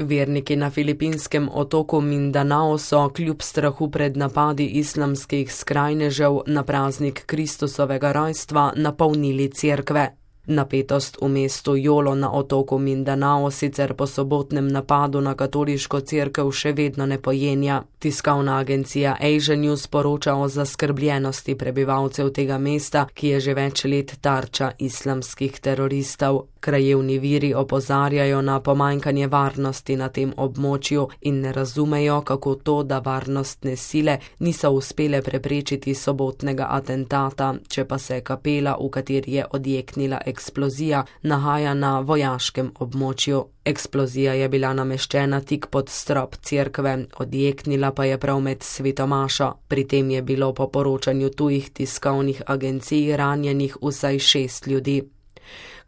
Verniki na filipinskem otoku Mindanao so kljub strahu pred napadi islamskih skrajnežev na praznik Kristusovega rojstva napolnili cerkve. Napetost v mestu Jolo na otoku Mindanao sicer po sobotnem napadu na katoliško cerkev še vedno ne pojenja. Tiskovna agencija Asia News poroča o zaskrbljenosti prebivalcev tega mesta, ki je že več let tarča islamskih teroristov. Krajevni viri opozarjajo na pomanjkanje varnosti na tem območju in ne razumejo, kako to, da varnostne sile niso uspele preprečiti sobotnega atentata, če pa se kapela, v kateri je odjeknila eksplozija, nahaja na vojaškem območju. Eksplozija je bila nameščena tik pod strop cerkve, odjeknila pa je prav med svetomašo. Pri tem je bilo po poročanju tujih tiskovnih agencij ranjenih vsaj 6 ljudi.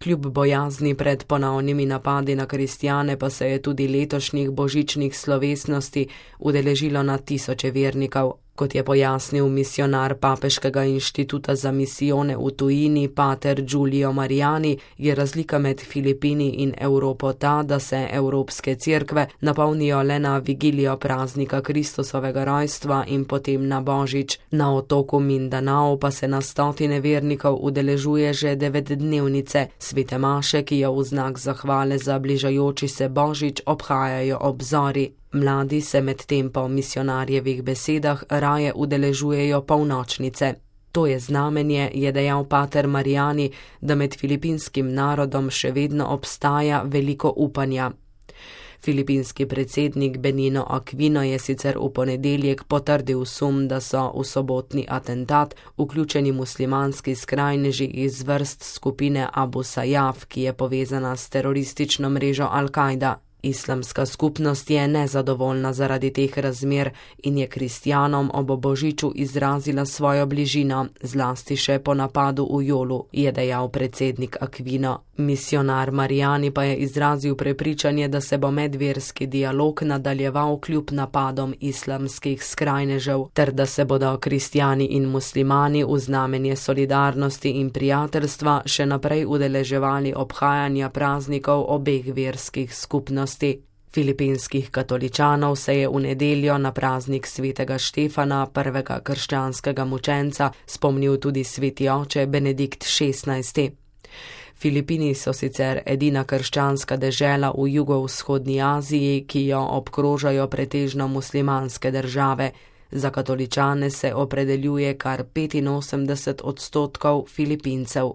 Kljub bojazni pred ponovnimi napadi na kristjane pa se je tudi letošnjih božičnih slovesnosti udeležilo na tisoče vernikov. Kot je pojasnil misionar Papeškega inštituta za misijone v tujini pater Giulio Mariani, je razlika med Filipini in Evropo ta, da se evropske cerkve napolnijo le na vigilijo praznika Kristusovega rojstva in potem na božič. Na otoku Mindanao pa se na stotine vernikov udeležuje že 9-dnevnice, svete maše, ki jo v znak zahvale za bližajoči se božič obhajajo ob zori. Mladi se medtem po misionarjevih besedah raje udeležujejo polnočnice. To je znamenje, je dejal pater Mariani, da med filipinskim narodom še vedno obstaja veliko upanja. Filipinski predsednik Benigno Aquino je sicer v ponedeljek potrdil sum, da so v sobotni atentat vključeni muslimanski skrajneži iz vrst skupine Abu Sayyaf, ki je povezana s teroristično mrežo Al-Kaida. Islamska skupnost je nezadovoljna zaradi teh razmer in je kristjanom ob božiču izrazila svojo bližino, zlasti še po napadu v Jolu, je dejal predsednik Aquino. Misionar Mariani pa je izrazil prepričanje, da se bo medverski dialog nadaljeval kljub napadom islamskih skrajnežev, ter da se bodo kristjani in muslimani v znamenje solidarnosti in prijateljstva še naprej udeleževali obhajanja praznikov obeh verskih skupnosti. Filipinskih katoličanov se je v nedeljo na praznik svetega Štefana, prvega krščanskega mučenca, spomnil tudi sveti oče Benedikt XVI. Filipini so sicer edina krščanska dežela v jugovzhodni Aziji, ki jo obkrožajo pretežno muslimanske države. Za katoličane se opredeljuje kar 85% Filipincev.